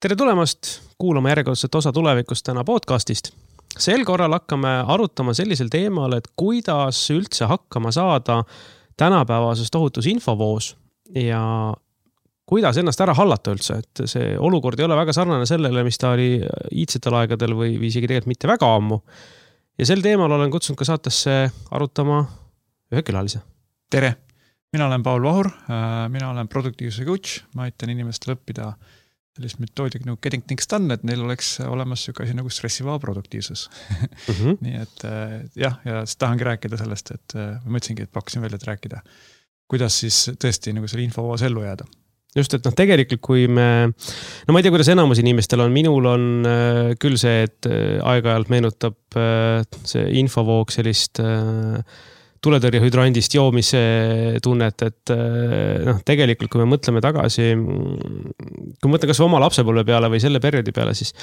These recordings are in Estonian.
Tere tulemast kuulama järjekordset osa tulevikust täna podcastist. Sel korral hakkame arutama sellisel teemal, et kuidas üldse hakkama saada tänapäevases tohutus infovoos ja kuidas ennast ära hallata üldse. Et see olukord ei ole väga sarnane sellele, mis ta oli iidsetel aegadel või isegi tegelikult mitte väga ammu. Ja sel teemal olen kutsunud ka saatesse arutama ühe külalise. Tere! Mina olen Paul Vahur, mina olen produktiivsuse coach, ma aitan inimestel õppida sellist metoodika nagu getting things done, et neil oleks olemas süka asi nagu stressivaba produktiivsus. Nii et ja tahangi rääkida sellest, et mõtlesingi, et pakkusin välja, et rääkida, kuidas siis tõesti nagu selle infovoos ellu jääda. Just, et tegelikult kui me, ma ei tea, kuidas enamus inimestel on, minul on küll see, et aeg-ajalt meenutab see infovoog sellist tuletõrjehüdrandist joomise tunnet, et tegelikult kui me mõtleme tagasi, kui mõtleme kas oma lapsepõlve peale või selle perioodi peale, siis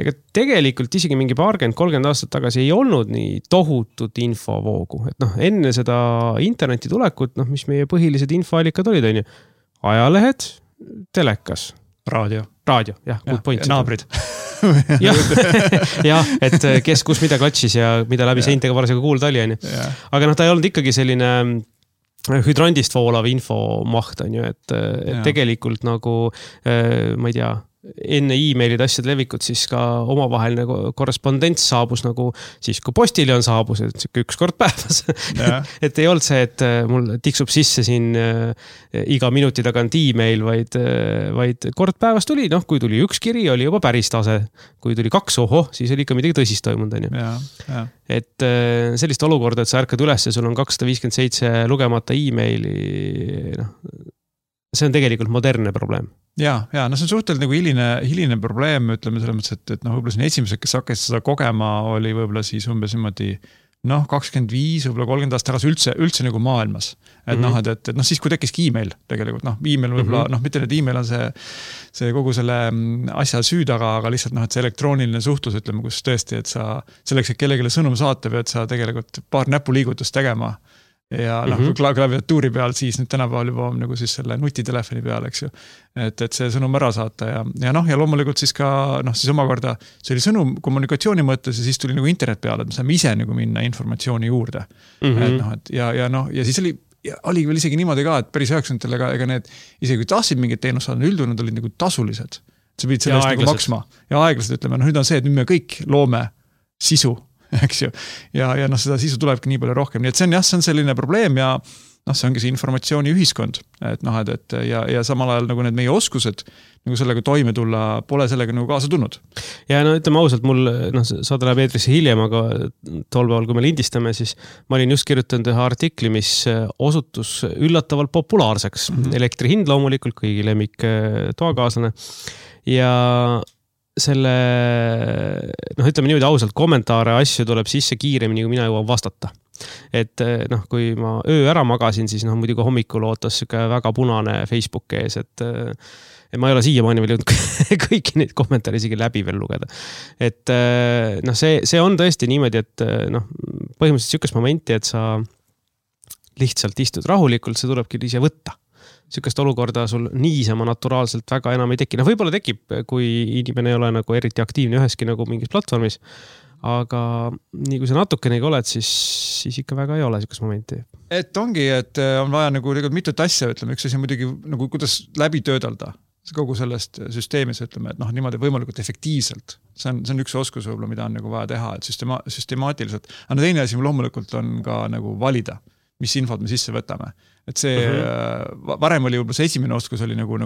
ega tegelikult isegi mingi 30 aastat tagasi ei olnud nii tohutut infovoogu. Et enne seda interneti tulekut, mis meie põhilised infoallikad olid, on ju, ajalehed, telekas. Raadio, jah, good point. Naabrid. jah, et kes kus mida klatšis ja mida läbi seintega parasjaga kuulda oli. Aga ta ei olnud ikkagi selline hüdrandist voolav infomaht, on ju, et tegelikult nagu, ma ei tea, enne e-mailid asjad levikut, siis ka omavaheline korrespondents saabus nagu siis, kui postiljon saabus, et üks kord päevas. et ei olnud see, et mul tiksub sisse siin iga minuti tagant e-mail, vaid kord päevas tuli, kui tuli üks kiri, oli juba päris tase. Kui tuli 2, siis oli ikka midagi tõsist toimunud. Et sellist olukorda, et sa ärkad üles ja sul on 257 lugemata e-maili, see on tegelikult modernne probleem. Ja, see on suhteliselt nagu hiline probleem, ütleme selles mõttes, et võib-olla siin esimesed, kes hakkas seda kogema, oli võib-olla siis umbes niimoodi 25, võib-olla 30 aastat tagasi üldse nagu maailmas. Et siis kui tekkiski e-mail tegelikult, e-mail võib-olla, mitte need e-mail on see kogu selle asja süü taga, aga lihtsalt, et see elektrooniline suhtlus, ütleme, kus tõesti, et sa selleks, et kellelegi sõnum saata, pead sa tegelikult paar näpuliigutust tegema. Ja klaviatuuri peal siis nüüd tänapäeval juba on nagu siis selle nutitelefoni peal, eks ju. Et see sõnum ära saata ja loomulikult siis ka, siis omakorda see oli sõnum kommunikatsiooni mõttes ja siis tuli nagu internet peale, et me saame ise nagu minna informatsiooni juurde. Ja siis oli veel isegi niimoodi ka, et päris 90-tel ega need, isegi kui tahtsid mingit teenust saada, üldjuhul nad olid nagu tasulised. Sa pidid selle eest nagu maksma. Ja aeglaselt ütleme, nüüd on see, et nüüd me kõik loome sisu, eks ju. Ja seda sisu tulebki nii palju rohkem. Nii et see on selline probleem ja see ongi see informatsiooni ühiskond. Ja samal ajal nagu need meie oskused nagu sellega toime tulla, pole sellega nagu kaasa tulnud. Ja ütleme ausalt, mul saada läheb eetrisse hiljem, aga tol päeval, kui me lindistame, siis ma olin just kirjutanud ühe artikli, mis osutus üllatavalt populaarseks. Elektri hind loomulikult, kõigi lemmik toakaaslane. Ja selle, ütleme niimoodi ausalt, kommentaare asju tuleb sisse kiiremini, kui mina jõuan vastata. Et kui ma öö ära magasin, siis muidugi hommikul ootas väga punane Facebook ees, et ma ei ole siiamaani veel jõudnud kõiki neid kommentaare isegi läbi veel lugeda. Et see on tõesti niimoodi, et põhimõtteliselt sükest momenti, et sa lihtsalt istud rahulikult, see tulebki ise võtta. Sükest olukorda sul niisama naturaalselt väga enam ei teki. Võib-olla tekib, kui inimene ei ole nagu eriti aktiivne üheski nagu mingis platvormis, aga nii kui sa natukenegi oled, siis ikka väga ei ole sükest momenti. Et ongi, et on vaja nagu mitut asja, ütleme, üks asi muidugi nagu kuidas läbi töödelda kogu sellest süsteemis, ütleme, et niimoodi võimalikult efektiivselt. See on üks oskus võib-olla, mida on nagu vaja teha, et süstemaatiliselt. Aga teine asi loomulikult on ka nagu valida, mis infot me sisse võtame. Et see varem oli juba see esimene oskus oli nagu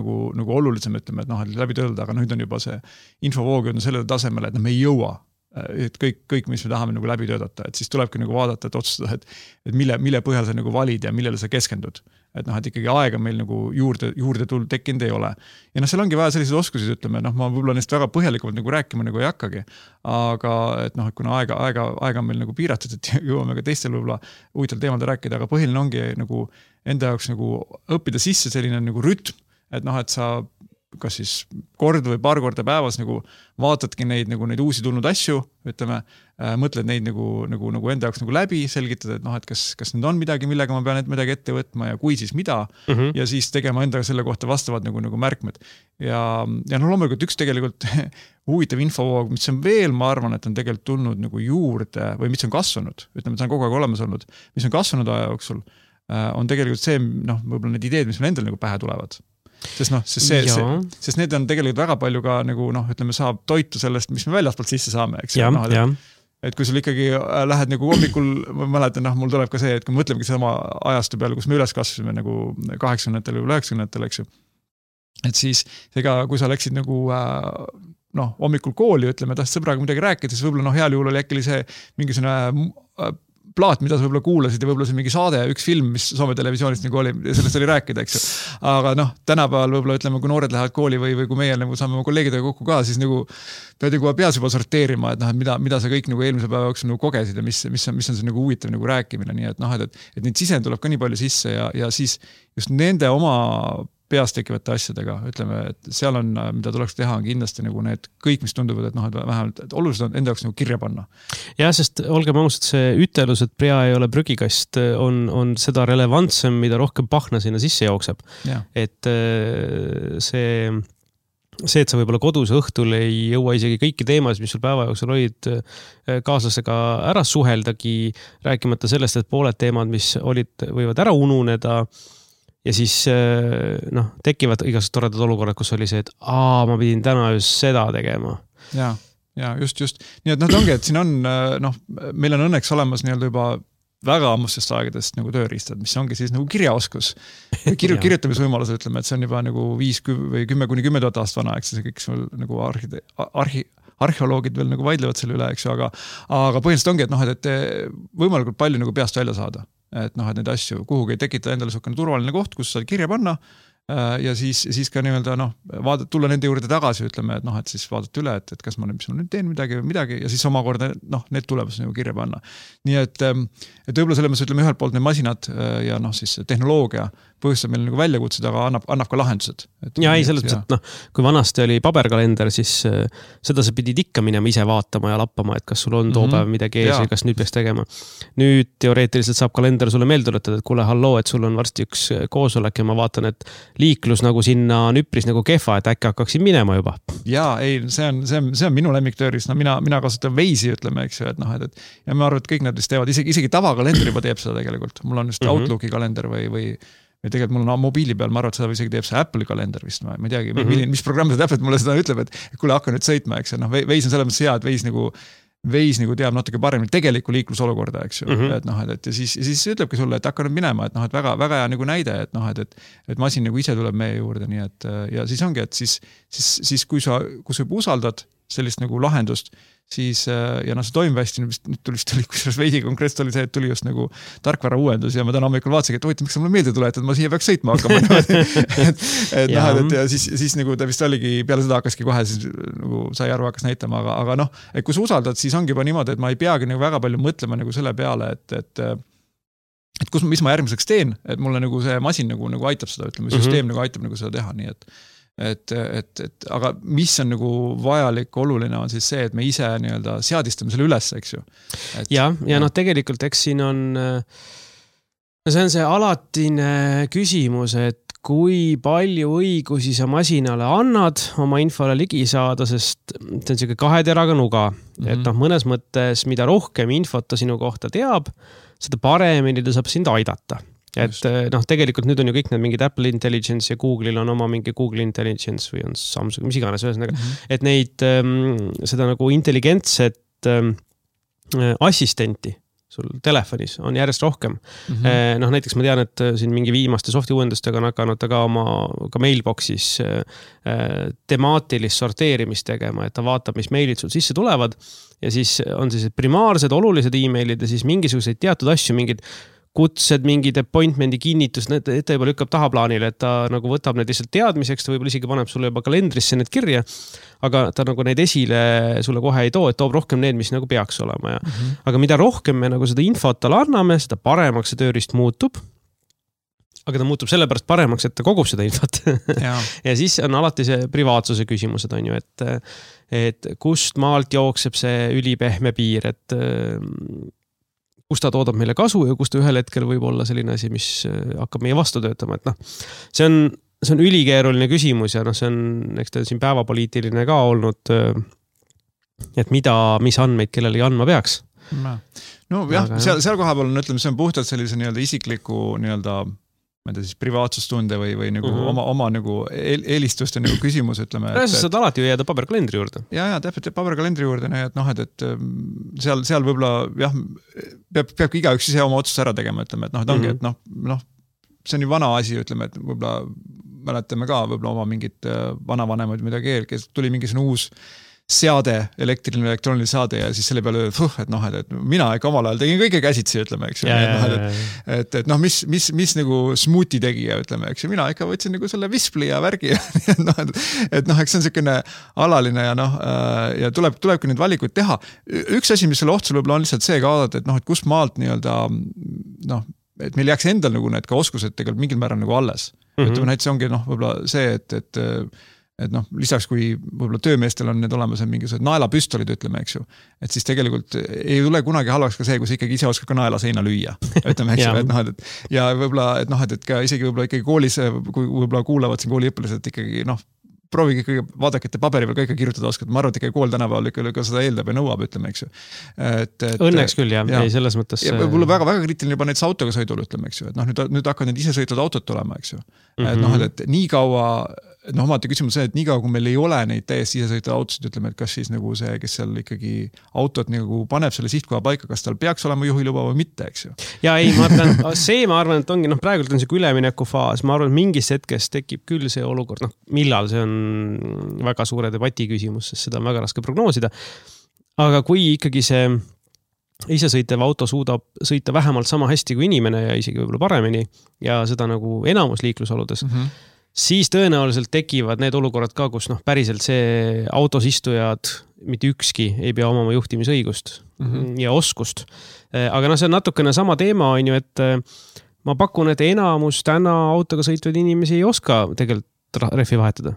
olulisem, ütleme, et läbi töödelda, aga nüüd on juba see infovoog on sellele tasemele, et me ei jõua et kõik, mis me tahame nagu läbi töötada, et siis tulebki nagu vaadata, et otsustada, et mille põhjal sa nagu valid ja millele sa keskendud. Et ikkagi aega meil nagu juurde tekkinud ei ole. Ja seal ongi vaja selliseid oskusi, ütleme, ma võib-olla neist väga põhjalikumalt nagu rääkima nagu ei hakkagi, aga et kuna aega on meil nagu piiratud, et jõuame ka teistel võib-olla huvitaval teemadel rääkida, aga põhiline ongi nagu enda jaoks nagu õppida sisse selline nagu rütm, et sa kas siis kord või paar korda päevas nagu vaatadki neid uusi tulnud asju, ütleme, mõtled neid nagu enda jaoks nagu läbi, selgitada, et noh, et kas nüüd on midagi, millega ma pean midagi ette võtma ja kui siis mida ja siis tegema endaga selle kohta vastavad nagu märkmed. Ja loomulikult üks tegelikult huvitav infovoog, mis on veel, ma arvan, et on tegelikult tulnud nagu juurde või mis on kasvanud, ütleme, et see on kogu aeg olemas olnud, mis on kasvanud aja jooksul, on tegelikult see, võib-olla need ideed, mis meil endal nagu pähe tulevad. Sest need on tegelikult väga palju ka nagu ütleme, saab toitu sellest, mis me väljaspoolt sisse saame, eks. Et kui sul ikkagi lähed nagu hommikul, ma mäletan, mul tuleb ka see, et kui mõtlemegi sama ajastu peale, kus me üles kasvasime nagu 80-ndatel või 90-ndatel, eks ju. Et siis ega, kui sa läksid nagu hommikul kooli, ütleme, tahtsid sõbraga midagi rääkida, siis võib-olla heal juhul oli äkki see mingisugune plaat, mida sa võib-olla kuulasid ja võib-olla see mingi saade, üks film, mis Soome televisioonist nagu oli, sellest oli rääkida, eks ju. Aga tänapäeval võib-olla ütleme, kui noored lähevad kooli või kui meie nagu saame oma kolleegidega kokku ka, siis nagu pead nagu peas juba sorteerima, et mida sa kõik nagu eelmise päeva jooksul nagu kogesid ja mis on see nagu huvitav nagu rääkimine, nii et neid sisend tuleb ka nii palju sisse ja siis just nende oma peas tekivate asjadega, ütleme, et seal on, mida tuleks teha, on kindlasti nagu need kõik, mis tunduvad, et vähemalt et olulised on enda jaoks nagu kirja panna. Ja, sest olgem ausad, see ütelus, et prea ei ole prügikast, on seda relevantsem, mida rohkem pahna sinna sisse jookseb. Ja. Et see, et sa võib-olla kodus õhtul ei jõua isegi kõiki teemasid, mis sul päeva jooksul olid kaaslasega ära suheldagi, rääkimata sellest, et pooled teemad, mis olid, võivad ära ununeda. Ja siis tekivad igasugused toredad olukorrad, kus oli see, et ma pidin täna just seda tegema. Ja just. Nii et ongi, et siin on, meil on õnneks olemas nii-öelda juba väga ammustest aegadest nagu tööriistad, mis ongi siis nagu kirjaoskus. Kirjutamisvõimalus, ütleme, et see on juba nagu 5 või 10 kuni 10 000 aastat vana, eks see kõik nagu arheoloogid veel nagu vaidlevad selle üle, eks ju, aga põhimõtteliselt ongi, et võimalikult palju nagu peast välja saada. Et neid asju kuhugi ei tekita endale suhkene turvaline koht, kus saad kirja panna ja siis ka nii-öelda tulla nende juurde tagasi, ütleme, et siis vaadata üle, et kas ma nüüd teen midagi ja siis omakorda need tulemus nagu kirja panna. Nii et võib-olla selles mõttes, ütleme, ühelt poolt need masinad ja siis tehnoloogia põhjustab meil nagu väljakutsed, aga annab ka lahendused. Ja ei, selles mõttes, et kui vanasti oli paberkalender, siis seda sa pidid ikka minema ise vaatama ja lappama, et kas sul on too päev midagi ees või kas nüüd peaks tegema. Nüüd teoreetiliselt saab kalender sulle meelde tuletada, et kuule, halloo, et sul on varsti üks koosolek ja ma vaatan, et liiklus nagu sinna on üpris nagu kehva, et äkki hakkaksin minema juba. Jaa, ei, see on minu lemmiktööris. Mina kasutan Waze'i, ütleme, eks ju, ja ma arvan, et kõik nad vist teevad, isegi tavakalender juba teeb seda tegelikult. Mul on just Outlooki kalender või tegelikult mul on mobiili peal, ma arvan, et seda isegi teeb see Apple'i kalender vist, ma ei teagi, mis programm see täpselt mulle seda ütleb, et kuule, hakka nüüd sõitma, eks ju, Waze on selles mõttes hea, et Waze nagu teab natuke paremini tegeliku liiklusolukorda, eks ju, et siis ütlebki sulle, et hakka nüüd minema, et väga hea nagu näide, et masin nagu ise tuleb meie juurde, nii et ja siis ongi, et siis kui sa usaldad sellist nagu lahendust, siis ja see toimib hästi, nüüd tuli kusjuures veidi konkreetselt oli see, et tuli just nagu tarkvara uuendus ja ma täna hommikul vaatasin, et miks sa mulle meelde tuled, et ma siia peaks sõitma hakkama. ja siis nagu ta vist oligi, peale seda hakkaski kohe siis nagu sai aru hakkas näitama, aga et kui sa usaldad, siis ongi juba niimoodi, et ma ei peagi nagu väga palju mõtlema nagu selle peale, et mis ma järgmiseks teen, et mulle nagu see masin nagu aitab seda, ütleme, süsteem nagu aitab nagu seda teha, nii et aga mis on nagu vajalik, oluline on siis see, et me ise nii-öelda seadistame selle üles, eks ju. Ja tegelikult eks siin on, see on see alatine küsimus, et kui palju õigusi sa masinale annad oma infole ligi saada, sest see on selline 2 teraga nuga, et mõnes mõttes, mida rohkem infot ta sinu kohta teab, seda paremini ta saab sind aidata. Et tegelikult nüüd on ju kõik need mingid Apple Intelligence ja Google'il on oma mingi Google Intelligence või on Samsung, mis iganes ühesõnaga, et neid seda nagu intelligentset assistenti sul telefonis on järjest rohkem. Näiteks ma tean, et siin mingi viimaste softi uuendustega on hakanud ka oma mailboxis temaatilist sorteerimist tegema, et ta vaatab, mis meilid sul sisse tulevad ja siis on siis primaarsed olulised e-mailid ja siis mingisuguseid teatud asju, mingid kutsed, mingid appointmendi kinnitus, need ta juba lükkab tahaplaanile, et ta nagu võtab need lihtsalt teadmiseks, ta võib-olla isegi paneb sulle juba kalendrisse need kirja, aga ta nagu neid esile sulle kohe ei too, et toob rohkem need, mis nagu peaks olema. Aga mida rohkem me nagu seda infot talle anname, seda paremaks see tööriist muutub. aga ta muutub sellepärast paremaks, et ta kogub seda infot. Ja siis on alati see privaatsuse küsimused, on ju, et kust maalt jookseb see ülipehme piir, et kus ta toodab meile kasu ja kus ta ühel hetkel võib olla selline asi, mis hakkab meie vastu töötama, et see on ülikeeruline küsimus ja see on, eks ta siin päevapoliitiline ka olnud, et mis andmeid kellelegi andma peaks. No jah, seal koha peal on, ütleme, see on puhtalt sellise nii-öelda isikliku nii-öelda ma ei tea siis privaatsustunde või nagu oma nagu eelistuste nagu küsimus, ütleme. Sa saad alati jääda paberkalendri juurde. Ja täpselt paberkalendri juurde, et seal võib-olla jah, peabki igaüks ise oma otsust ära tegema, ütleme, et ongi, et see on ju vana asi, ütleme, et võib-olla mäletame ka võib-olla oma mingit vanavanemaid midagi kes tuli mingisugune uus seade, elektriline elektrooniline saade ja siis selle peale, et mina ikka omal ajal tegin kõige käsitsi, ütleme, eks ju. Et mis nagu smuuti tegija, ütleme, eks ju. Mina ikka võtsin nagu selle vispli ja värgi. Et eks see on selline alaline ja tulebki neid valikuid teha. Üks asi, mis selle ohtsul võib-olla on lihtsalt see ka vaadata, et kus maalt nii-öelda, et meil jääks endal nagu need ka oskused tegelikult mingil määral nagu alles. Ütleme, näiteks ongi võib-olla see, et lisaks kui võib-olla töömeestel on need olemas mingisugused naelapüstolid, ütleme, eks ju. Et siis tegelikult ei tule kunagi halvaks ka see, kui sa ikkagi ise oskad ka naela seina lüüa. Ütleme, eks ju, ja võib-olla, et ka isegi võib-olla ikkagi koolis, kui võib-olla kuulavad siin kooliõpilased ikkagi, proovige ikkagi vaadake, et paberi peal ka ikka kirjutada oskad. Ma arvan, et ikka kool tänapäeval ikka seda eeldab ja nõuab, ütleme, eks ju. Õnneks küll, jah. Ei, selles mõttes. Ja võib-olla väga kriitiline juba näiteks autoga sõidul, ütleme, eks ju. Et nüüd hakkavad need ise sõitvad autot tulema, eks ju. Et nii kaua, omati küsimus see, et nii kaua, kui meil ei ole neid täiesti ise sõitvad autosid, ütleme, et kas siis nagu see, kes seal ikkagi autot nagu paneb selle sihtkoha paika, kas tal peaks olema juhiluba või mitte, eks ju. Ja ei, ma arvan, et ongi, praegult on see ülemineku faas, ma arvan, et mingis hetkes tekib küll see olukord, millal see on väga suure debati küsimus, sest seda on väga raske prognoosida. Aga kui ikkagi see isesõitev auto suudab sõita vähemalt sama hästi kui inimene ja isegi võib-olla paremini ja seda nagu enamus liiklusoludes, siis tõenäoliselt tekivad need olukorrad ka, kus päriselt see autos istujad mitte ükski ei pea omama juhtimisõigust ja oskust. Aga see on natukene sama teema, on ju, et ma pakun, et enamus täna autoga sõitvaid inimesi ei oska tegelikult rehvi vahetada.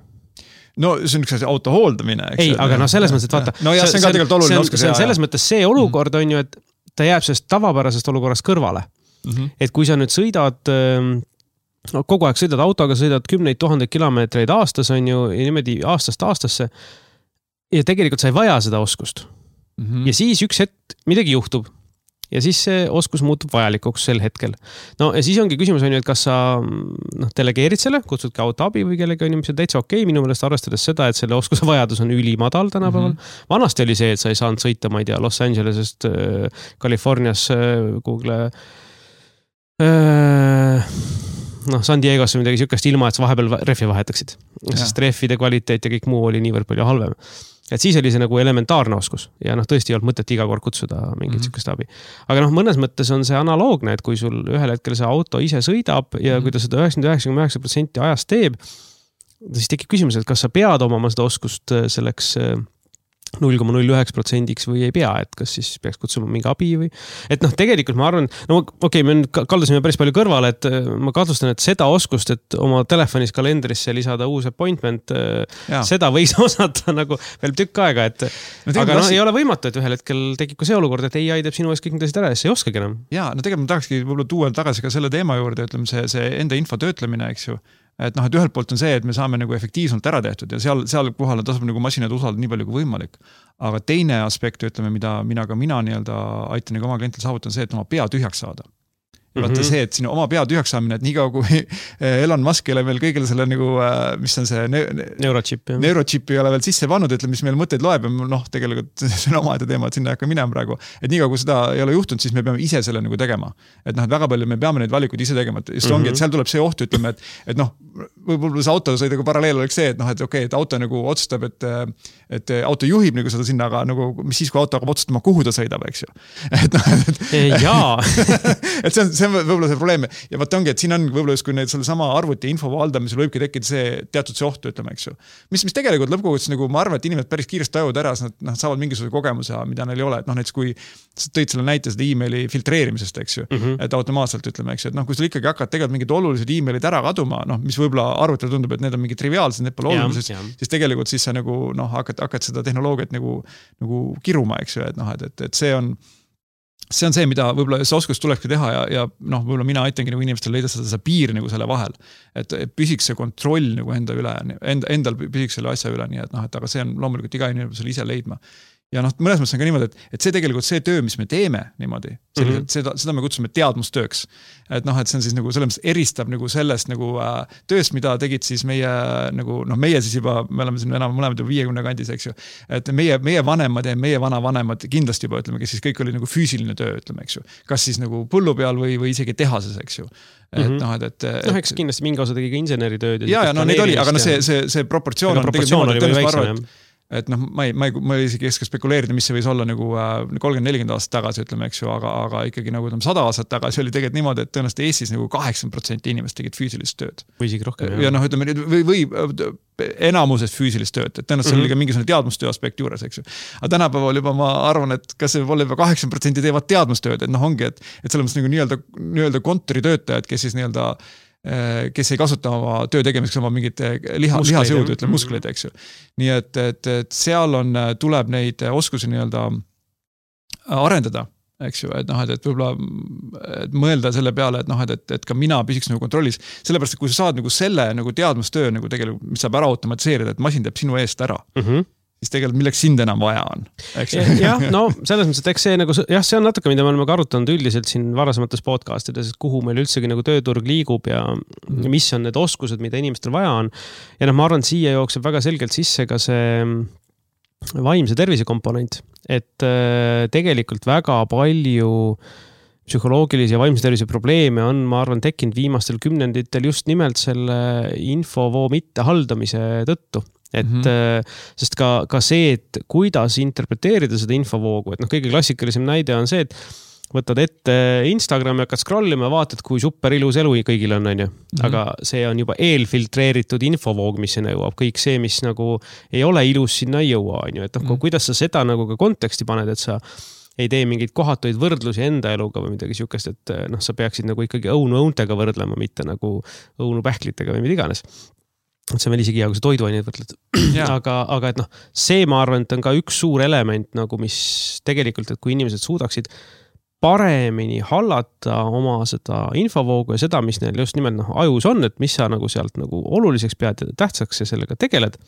No see on üks auto hooldamine. Ei, aga selles mõttes, et vaata. No ja see on ka tegelikult oluline oskus. See on selles mõttes see olukord on ju, et ta jääb sellest tavapärasest olukorrast kõrvale. Et kui sa nüüd sõidad kogu aeg sõidad autoga, sõidad 10 000 kilomeetreid aastas, on ju, ja niimoodi aastast aastasse. Ja tegelikult sa ei vaja seda oskust. Ja siis üks hetk midagi juhtub. Ja siis see oskus muutub vajalikuks sel hetkel. No ja siis ongi küsimus, on ju, et kas sa delegeerid selle, kutsudki autoabi või kellegi on ju, mis on täitsa okei, minu meelest arvestades seda, et selle oskuse vajadus on ülimadal tänapäeval. Vanasti oli see, et sa ei saanud sõita, ma ei tea, Los Angelesest, Californias, Google San Diego's või midagi sükast ilma, et sa vahepeal rehvi vahetaksid. Sest rehvide kvaliteet ja kõik muu oli niivõrd palju halvem. Et siis oli see nagu elementaarne oskus ja tõesti ei olnud mõtet iga kord kutsuda mingit sükast abi. Aga mõnes mõttes on see analoogne, et kui sul ühel hetkel see auto ise sõidab ja kui ta seda 99% ajast teeb, siis tekib küsimus, et kas sa pead omama seda oskust selleks 0,01% või ei pea, et kas siis peaks kutsuma mingi abi või... Et tegelikult ma arvan, me kaldusime päris palju kõrvale, et ma kahtlustan, et seda oskust, et oma telefonis kalendrisse lisada uus appointment, seda võiks osata nagu veel tükk aega, et aga ei ole võimatu, et ühel hetkel tekib ka see olukord, et AI teeb sinu ees kõik need asjad ära ja see ei oskagi enam. Ja, tegelikult ma tahakski võib-olla tuua tagasi ka selle teema juurde, ütleme see enda info töötlemine, eks ju. Et ühelt poolt on see, et me saame nagu efektiivselt ära tehtud ja seal kohal tasub nagu masinad usaldada nii palju kui võimalik. Aga teine aspekt, ütleme, mida mina nii-öelda aitan nagu oma klientil saavutada, on see, et oma pea tühjaks saada. Ja vaata see, et sinu oma pea tühjaks saamine, et nii kaua kui Elon Musk ei ole veel kõigil selle nagu, mis on see neurochip ei ole veel sisse pannud, ütleme, mis meil mõtteid loeb ja tegelikult see on omaette teema, et sinna ei hakka minema praegu. Et nii kaua kui seda ei ole juhtunud, siis me peame ise selle nagu tegema. Et väga palju me peame neid valikuid ise tegema, et just ongi, et seal tuleb see oht, ütleme, et võib-olla see autosõidaga paralleel oleks see, et okei, et auto nagu otsustab, et auto juhib nagu seda sinna, aga nagu, mis siis, kui auto hakkab otsustama, kuhu ta sõidab, eks ju. Jaa. Et see see on võib-olla see probleem ja vaat ongi, et siin on võib-olla kui need selle sama arvuti info valdamisel võibki tekkida see teatud see ohtu, ütleme, eks ju. Mis tegelikult lõppkogudes nagu ma arvan, et inimesed päris kiiresti tajuvad ära, nad saavad mingisuguse kogemuse, mida neil ei ole, et näiteks kui tõid selle näite seda emaili filtreerimisest, eks ju, et automaatselt ütleme, eks ju, et kui sul ikkagi hakkad tegelikult mingid olulised emailid ära kaduma, mis võib-olla arvutil tundub, et need on mingi triviaalsed, need pole olulised, siis tegelikult siis sa nagu hakkad seda tehnoloogiat nagu kiruma, eks ju, et see on see, mida võib-olla see oskus tulekski teha ja võib-olla mina aitangi nagu inimestel leida seda piiri nagu selle vahel, et püsiks see kontroll nagu enda üle, endal püsiks selle asja üle, nii et aga see on loomulikult iga inimesel ise leidma. Ja mõnes mõttes on ka niimoodi, et see tegelikult see töö, mis me teeme niimoodi, seda me kutsume teadmustööks. Et see on siis nagu selles eristab nagu sellest nagu tööst, mida tegid siis meie nagu, meie siis juba, me oleme siin enam mõlemad juba 50 kandis, eks ju. Et meie vanemad ja meie vanavanemad kindlasti juba ütleme, kes siis kõik oli nagu füüsiline töö, ütleme, eks ju. Kas siis nagu põllu peal või isegi tehases, eks ju. Eks kindlasti mingi osa tegi ka inseneritööd. Ja, neid oli, aga see proportsioon on tegelikult et ma ei isegi keska spekuleerida, mis see võis olla nagu 30-40 aastat tagasi, ütleme, eks ju, aga ikkagi nagu 100 aastat tagasi oli tegelikult niimoodi, et tõenäoliselt Eestis nagu 80% inimest tegid füüsilist tööd. Või isegi rohkem. Ja ütleme, või enamusest füüsilist tööd, et tõenäoliselt oli ka mingisugune teadmustöö aspekt juures, eks ju. Aga tänapäeval juba ma arvan, et kas see võib olla juba 80% teevad teadmustööd, et ongi, et selles mõttes nagu nii-öelda kontoritöötajad, kes siis nii-öelda kes ei kasuta oma töö tegemiseks oma mingit lihasjõudu, ütleme muskleid, eks ju. Nii et seal tuleb neid oskusi nii-öelda arendada, eks ju, et võib-olla mõelda selle peale, et ka mina püsiks nagu kontrollis, sellepärast, et kui sa saad nagu selle nagu teadmustöö nagu tegelikult, mis saab ära automatiseerida, et masin teeb sinu eest ära, siis tegelikult milleks sind enam vaja on. Jah, selles mõttes, et eks see nagu, see on natuke, mida me oleme ka arutanud üldiselt siin varasemates podcastides, et kuhu meil üldsegi nagu tööturg liigub ja mis on need oskused, mida inimestel vaja on. Ja ma arvan, siia jookseb väga selgelt sisse ka see vaimse tervise komponent, et tegelikult väga palju psühholoogilisi ja vaimse tervise probleeme on, ma arvan, tekkinud viimastel kümnenditel just nimelt selle infovoo mitte haldamise tõttu. Et sest ka see, et kuidas interpreteerida seda infovoogu, et kõige klassikalisem näide on see, et võtad ette Instagrami, hakkad scrollima ja vaatad, kui super ilus elu kõigil on, aga see on juba eelfiltreeritud infovoog, mis sinna jõuab. Kõik see, mis nagu ei ole ilus, sinna ei jõua, et kuidas sa seda nagu ka konteksti paned, et sa ei tee mingeid kohatuid võrdlusi enda eluga või midagi siukest, et sa peaksid nagu ikkagi õunu-õuntega võrdlema, mitte nagu õunu-pähklitega või mida iganes. Et see on veel isegi hea, kui sa toiduaineid võrdled. Aga et see ma arvan, et on ka üks suur element, nagu mis tegelikult, et kui inimesed suudaksid paremini hallata oma seda infovoogu ja seda, mis neil just nimelt ajus on, et mis sa nagu sealt nagu oluliseks pead ja tähtsaks ja sellega tegeled.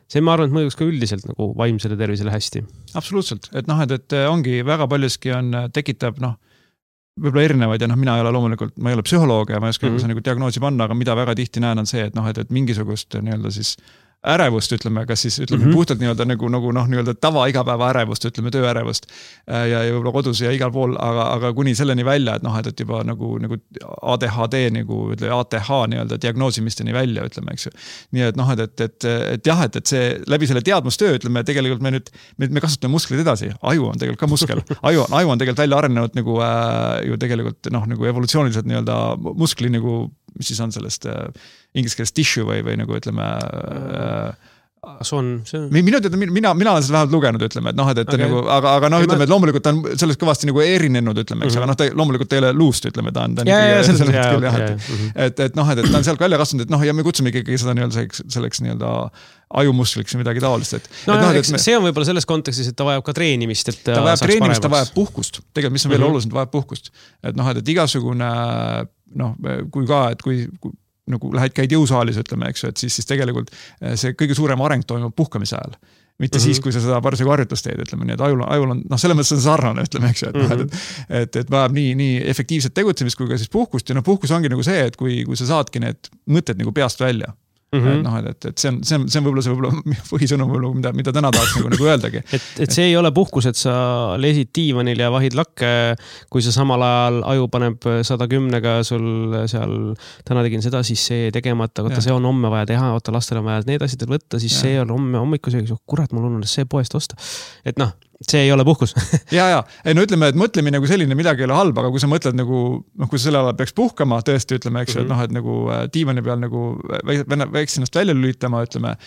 See ma arvan, et mõjuks ka üldiselt nagu vaimsele tervisele hästi. Absoluutselt, et ongi väga paljuski tekitab võib-olla erinevaid ja mina ei ole loomulikult, ma ei ole psühholoog ja ma ei oska nagu diagnoosi panna, aga mida väga tihti näen on see, et mingisugust nii-öelda siis ärevust, ütleme, kas siis ütleme puhtalt nii-öelda tava igapäeva ärevust, ütleme tööärevust ja võib-olla kodus ja igal pool, aga kuni selleni välja, et juba nagu ADHD nagu ATH nii-öelda diagnoosimisteni välja, ütleme, eks ju. Nii et jah, et see läbi selle teadmustöö, ütleme, tegelikult me kasutame muskleid edasi, aju on tegelikult ka muskel, aju on tegelikult välja arenenud nagu ju tegelikult nagu evolutsiooniliselt nii-öelda muskli nagu, mis siis on sellest inglise keeles tissue või nagu ütleme mina olen seda vähemalt lugenud, ütleme, et nagu, aga ütleme, et loomulikult on sellest kõvasti nagu erinenud, ütleme, eks, aga loomulikult teile luust, ütleme, ta on et ta on sealt välja kasvanud, et ja me kutsume ikkagi seda selleks nii-öelda ajumusliks või midagi taolist. See on võib-olla selles kontekstis, et ta vajab ka treenimist, et ta vajab treenimist, ta vajab puhkust. Tegelikult, mis on veel oluliselt, vajab puhkust. Et igasugune, kui nagu käid jõusaalis, ütleme, eks ju, et siis tegelikult see kõige suurem areng toimub puhkamise ajal. Mitte siis, kui sa seda parasjagu harjutust teed, ütleme, nii et ajul on, selles mõttes on sarnane, ütleme, eks ju, et vajab nii efektiivset tegutsemist kui ka siis puhkust ja puhkus ongi nagu see, et kui sa saadki need mõtted nagu peast välja. Et see on võib-olla põhisõnum, mida täna tahaks nagu öeldagi. Et see ei ole puhkus, et sa lesid diivanil ja vahid lakke, kui sa samal ajal aju paneb 110-ga sul seal, täna tegin seda, siis see tegemata, see on homme vaja teha, lastel on vaja need asjad võtta, siis see on homme hommikusega, kurat, mul on see poest osta. Et see ei ole puhkus. ja, no ütleme, et mõtlemine nagu selline midagi ei ole halb, aga kui sa mõtled nagu, kui sa selle ajal peaks puhkama, tõesti ütleme, eks et et nagu diivani peal nagu väiks ennast välja lülitama, ütleme,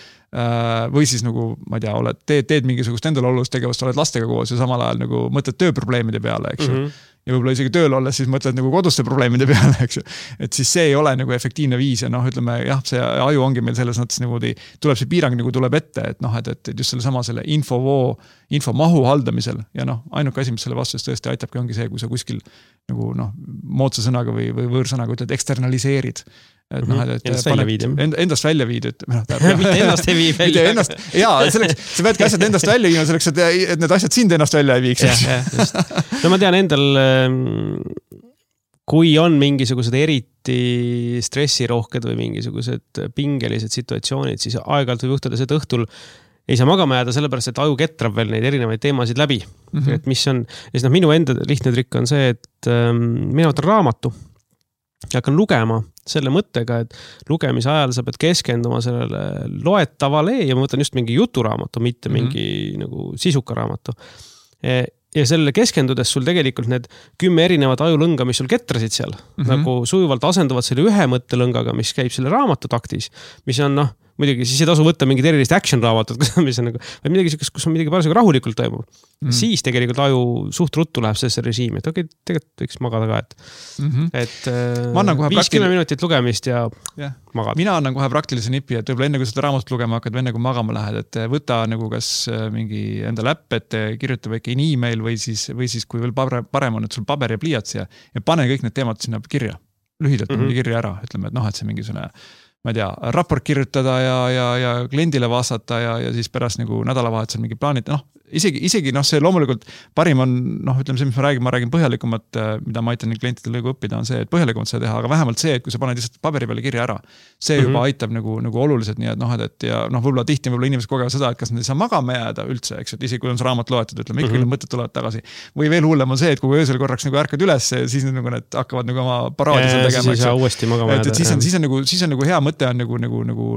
või siis nagu, ma ei tea, teed mingisugust endale olulist tegevust, oled lastega koos ja samal ajal nagu mõtled tööprobleemide peale, eks ju. Ja võib-olla isegi tööl olles siis mõtled nagu koduste probleemide peale, eks ju. Et siis see ei ole nagu efektiivne viis ja ütleme, jah, see aju ongi meil selles mõttes nagu tuleb see piirang nagu tuleb ette, et just selle infomahu haldamisel ja ainuke asi, mis selle vastus tõesti aitabki, ongi see, kui sa kuskil nagu moodsa sõnaga või võõrsõnaga ütled eksternaliseerid. Endast välja viid, mitte ennast ei vii välja. Selleks, sa peadki asjad endast välja viima selleks, et need asjad sind ennast välja ei viiks. No ma tean endal, kui on mingisugused eriti stressirohked või mingisugused pingelised situatsioonid, siis aeg-ajalt võib juhtuda see, et õhtul ei saa magama jääda, sellepärast, et aju ketrab veel neid erinevaid teemasid läbi. Et mis on, ja siis minu enda lihtne trikk on see, et mina võtan raamatu ja hakkan lugema selle mõttega, et lugemise ajal sa pead keskenduma sellele loetavale ja ma võtan just mingi juturaamatu, mitte mingi nagu sisuka raamatu. Ja selle keskendudes sul tegelikult need 10 erinevat ajulõnga, mis sul ketrasid seal, nagu sujuvalt asenduvad selle ühe mõttelõngaga, mis käib selle raamatu taktis, mis on muidugi siis ei tasu võtta mingid erilist action raamatut, mis on nagu, või midagi sellist, kus on midagi parasjagu rahulikult toimub. Siis tegelikult aju suht ruttu läheb sellesse režiimi, et tegelikult võiks magada ka, et 50 minutit lugemist ja magada. Mina annan kohe praktilise nipi, et võib-olla enne kui seda raamatut lugema hakkad, või enne kui magama lähed, et võta nagu kas mingi enda läpp, et kirjuta väike email või siis kui veel parem on, et sul paber ja pliiats ja pane kõik need teemad sinna kirja. Lühidalt kirja ära, ütleme, et et see mingisugune ma ei tea, raport kirjutada ja kliendile vastata ja siis pärast nagu nädalavahetusel mingi plaanid, isegi see loomulikult parim on, ütleme see, mis ma räägin põhjalikumat, mida ma aitan klientidele nagu õppida, on see, et põhjalikumat seda teha, aga vähemalt see, et kui sa paned lihtsalt paberi peale kirja ära, see juba aitab nagu oluliselt, nii et ja võib-olla tihti inimesed kogevad seda, et kas nad ei saa magama jääda üldse, eks, et isegi kui on see raamat loetud, ütleme, ikkagi need mõtted tulevad tagasi. Või veel hullem on see, et kui öösel korraks nagu ärkad üles, siis nagu need hakkavad nagu oma paraadi seal tegema, siis on nagu hea mõte on nagu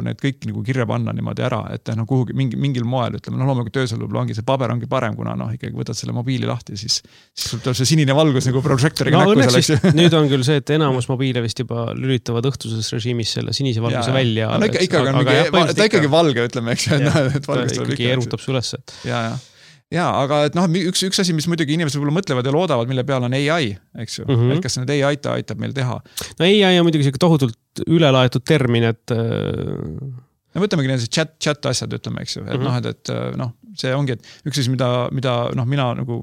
need kõik nagu kirja panna niimoodi ära, et kuhugi mingil moel, ütleme, loomulikult töösel võib-olla ongi see paber ongi parem, kuna ikkagi võtad selle mobiili lahti, siis sul tuleb see sinine valgus nagu projektoriga näkku selleks. Nüüd on küll see, et enamus mobiile vist juba lülitavad õhtuses režiimis selle sinise valguse välja. Ta ikkagi valge, ütleme, eks. Ta ikkagi erutab su ülesse. Ja, aga et üks asi, mis muidugi inimesed võib-olla mõtlevad ja loodavad, mille peal on AI, eks ju, et kas need AI aitab meil teha. No AI on muidugi tohutult ülelaetud termin, et no võtamegi need chat asjad, ütleme, eks ju, et see ongi, et üks asi, mida mina nagu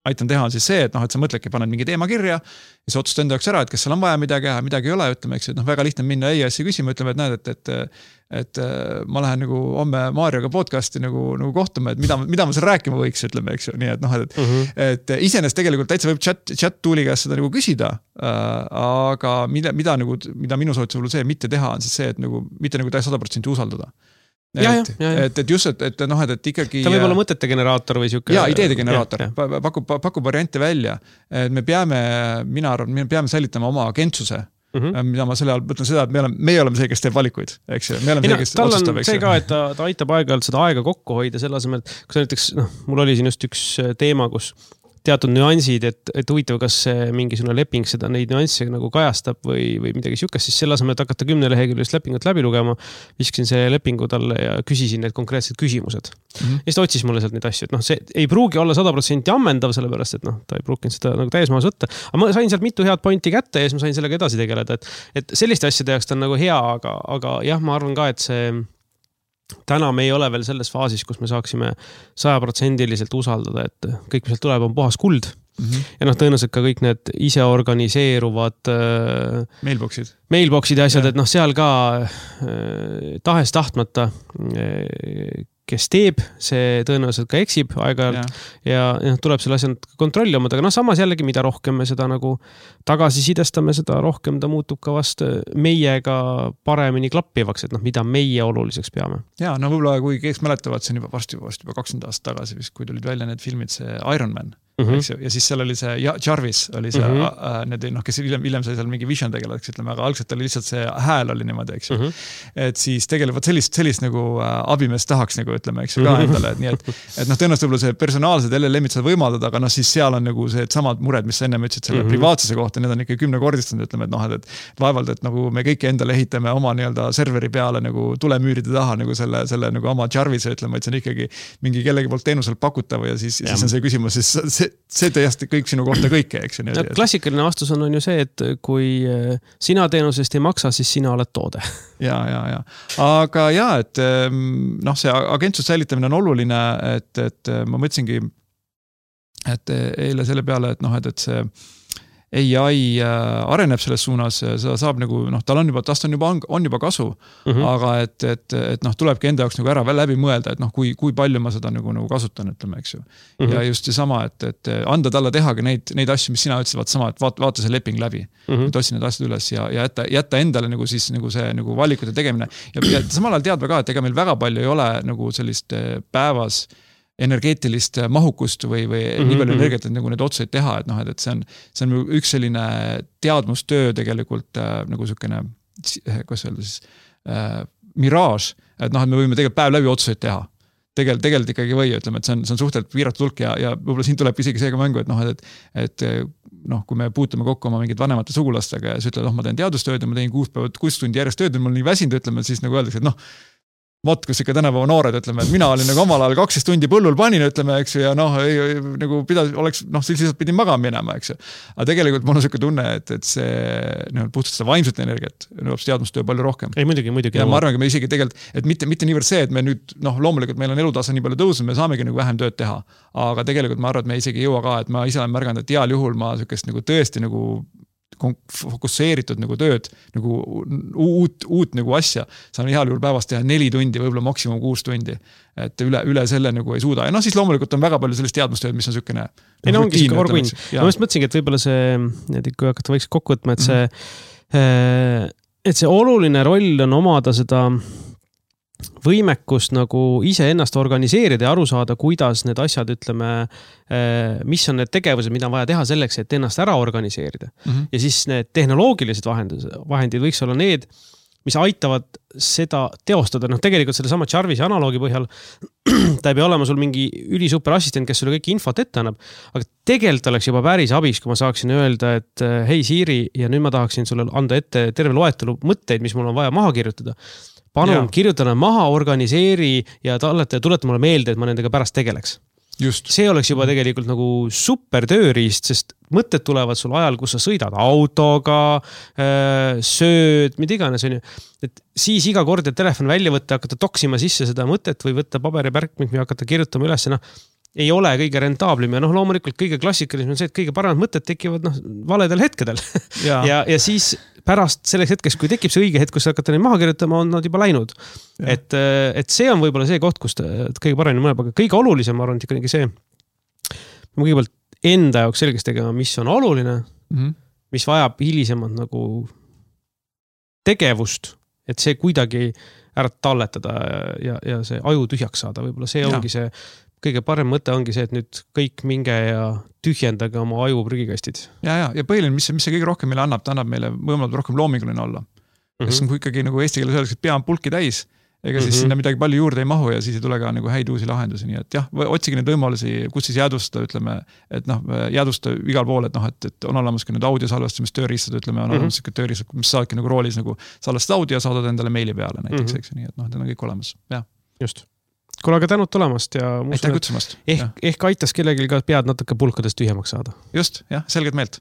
aitan teha on siis see, et sa mõtledki, paned mingi teema kirja ja sa otsustad enda jaoks ära, et kas seal on vaja midagi ei ole, ütleme, eks, et väga lihtne minna EAS-i küsima, ütleme, et näed, et ma lähen nagu homme Maarioga podcasti nagu kohtuma, et mida ma seal rääkima võiks, ütleme, eks ju, nii et iseenesest tegelikult täitsa võib chat tooli käest seda nagu küsida, aga mida minu soovitus võib-olla see mitte teha on siis see, et nagu mitte nagu 100% usaldada. Et just, et ikkagi ta võib olla mõtete generaator või siuke ideede generaator, pakub variante välja, et mina arvan, me peame säilitama oma agentsuse, mida ma selle all mõtlen seda, et me oleme see, kes teeb valikuid, eks ju, me oleme see, kes otsustab, eks ju. See ka, et ta aitab aeg-ajalt seda aega kokku hoida selle asemel, et kui sa näiteks, mul oli siin just üks teema, kus teatud nüansid, et huvitav, kas mingisugune leping seda neid nüansse nagu kajastab või midagi siukest, siis selle asemel, et hakata 10 leheküljelist lepingut läbi lugema, viskasin see lepingu talle ja küsisin need konkreetsed küsimused. Ja siis ta otsis mulle sealt neid asju, et see ei pruugi olla 100% ammendav, sellepärast, et ta ei pruukinud seda nagu täismaas võtta. Aga ma sain sealt mitu head pointi kätte ja siis ma sain sellega edasi tegeleda, et selliste asjade jaoks ta on nagu hea, aga jah, ma arvan ka, et see täna me ei ole veel selles faasis, kus me saaksime 100% usaldada, et kõik, mis sealt tuleb, on puhas kuld. Ja tõenäoliselt ka kõik need ise organiseeruvad mailboxid ja asjad, et seal ka tahes tahtmata, kes teeb, see tõenäoliselt ka eksib aeg-ajalt ja tuleb selle asja kontrolli omada, aga samas jällegi, mida rohkem me seda nagu tagasisidestame, seda rohkem ta muutub ka vast meiega paremini klappivaks, et mida meie oluliseks peame. Ja, võib-olla kui kes mäletavad, see on juba varsti 20 aastat tagasi, kui tulid välja need filmid, see Iron Man, eks ju, ja siis seal oli see Jarvis oli see, kes hiljem sai seal mingi vision tegeleks, ütleme, aga algselt oli lihtsalt see hääl oli niimoodi, eks ju. Et siis tegelikult sellist nagu abimeest tahaks nagu, ütleme, eks ju, ka endale, et nii, et tõenäoliselt võib-olla see personaalsed LLM-id seda võimaldada, aga siis seal on nagu see samad mured, mis sa enne ütlesid selle privaatsuse kohta, need on ikka 10-kordistanud, ütleme, et vaevalt, et nagu me kõik endale ehitame oma nii-öelda serveri peale nagu tulemüüride taha nagu selle nagu oma Jarvise, ütleme, et see on ikkagi mingi kellegi poolt teenuselt pakutav ja siis on see küsimus, siis see tõesti kõik sinu kohta kõike, eks ju. Klassikaline vastus on ju see, et kui sina teenusest ei maksa, siis sina oled toode. Ja. Aga et see agentsuse säilitamine on oluline, et ma mõtlesingi, et eile selle peale, et see AI areneb selles suunas, seda saab nagu, tast on juba kasu, aga et tulebki enda jaoks nagu ära läbi mõelda, et kui palju ma seda nagu kasutan, ütleme, eks ju. Ja just sama, et anda talle tehagi neid asju, mis sina ütlesid, et vaata see leping läbi, et otsi need asjad üles ja jätta endale nagu siis nagu see nagu valikute tegemine. Ja samal ajal teadma ka, et ega meil väga palju ei ole nagu sellist päevas energeetilist mahukust või nii palju energiat, et nagu need otsuseid teha, et see on üks selline teadmustöö tegelikult nagu sükene, kuidas öelda siis, miraaž, et me võime tegelikult päev läbi otsuseid teha. Tegelikult ikkagi või, ütleme, et see on suhteliselt piiratud hulk ja võib-olla siin tuleb isegi seega mängu, et kui me puutume kokku oma mingid vanemate sugulastega ja sa ütled, ma teen teadustööd ja ma teen 6 tundi järjest tööd ja mul nii väsinud, ütleme, siis nagu öeldakse, et kus ikka tänapäeva noored, ütleme, et mina olin nagu omal ajal 12 tundi põllul panin, ütleme, eks ju, ja nagu oleks, siis lihtsalt pidin magama minema, eks ju. Aga tegelikult mul on selline tunne, et see puhtalt seda vaimset energiat nõuab teadmustöö palju rohkem. Ei, muidugi. Ja ma arvan, et me isegi tegelikult, et mitte niivõrd see, et me nüüd, loomulikult meil on elutase nii palju tõusnud, me saamegi nagu vähem tööd teha. Aga tegelikult ma arvan, et me isegi ei jõua ka, et ma ise olen märganud, et heal juhul ma sellist nagu tõesti nagu fokusseeritud nagu tööd, nagu uut nagu asja, saan heal juhul päevast teha 4 tundi, võib-olla maksimum 6 tundi, et üle selle nagu ei suuda. Ja siis loomulikult on väga palju sellist teadmustööd, mis on sükene ei, ongi siuke orguinn. Ma just mõtlesingi, et võib-olla see, kui hakata võiks kokku võtma, et see oluline roll on omada seda võimekust nagu ise ennast organiseerida ja aru saada, kuidas need asjad, ütleme, mis on need tegevused, mida on vaja teha selleks, et ennast ära organiseerida. Ja siis need tehnoloogilised vahendid võiks olla need, mis aitavad seda teostada. Tegelikult selle sama Jarvise analoogi põhjal ta ei pea olema sul mingi ülisuper assistent, kes sulle kõik infot ette annab, aga tegelikult oleks juba päris abis, kui ma saaksin öelda, et hei Siri, ja nüüd ma tahaksin sulle anda ette terve loetelu mõtteid, mis mul on vaja maha kirjutada. Palun kirjuta nad maha, organiseeri ja tuleta mulle meelde, et ma nendega pärast tegeleks. Just. See oleks juba tegelikult nagu super tööriist, sest mõtted tulevad sul ajal, kus sa sõidad autoga, sööd, mida iganes on ju. Et siis iga kord, et telefon välja võtta, hakata toksima sisse seda mõtet või võtta paberipärkmik või hakata kirjutama üles, ei ole kõige rentaablim ja loomulikult kõige klassikalisem on see, et kõige paremad mõtted tekivad valedel hetkedel. ja siis pärast selleks hetkest, kui tekib see õige hetk, kus hakata neid maha kirjutama, on nad juba läinud. Et see on võib-olla see koht, kus kõige paremini mõneb, aga kõige olulisem, ma arvan, et ikkagi see, ma kõigepealt enda jaoks selgeks tegema, mis on oluline, mis vajab hilisemalt nagu tegevust, et see kuidagi ära talletada ja see aju tühjaks saada. Võib-olla see ongi see kõige parem mõte ongi see, et nüüd kõik minge ja tühjendage oma aju prügikastid. Ja põhiline, mis see kõige rohkem meile annab, ta annab meile võimalus rohkem loominguline olla. Kes on ikkagi nagu eesti keeles öeldakse, et pea on pulki täis, ega siis sinna midagi palju juurde ei mahu ja siis ei tule ka nagu häid uusi lahendusi. Nii et otsige neid võimalusi, kus siis jäädustada, ütleme, et jäädustada igal pool, et on olemas ka nüüd audiosalvestamis tööriistad, ütleme, on olemas tööriistad, mis saadki nagu roolis nagu salvestada audio ja saadad endale meili peale näiteks, eks, nii et need on kõik olemas. Just. Kuule, aga tänud tulemast ja aitäh kutsumast. Ehk aitas kellelgi ka pead natuke pulkadest tühjemaks saada. Just, selgelt meelt.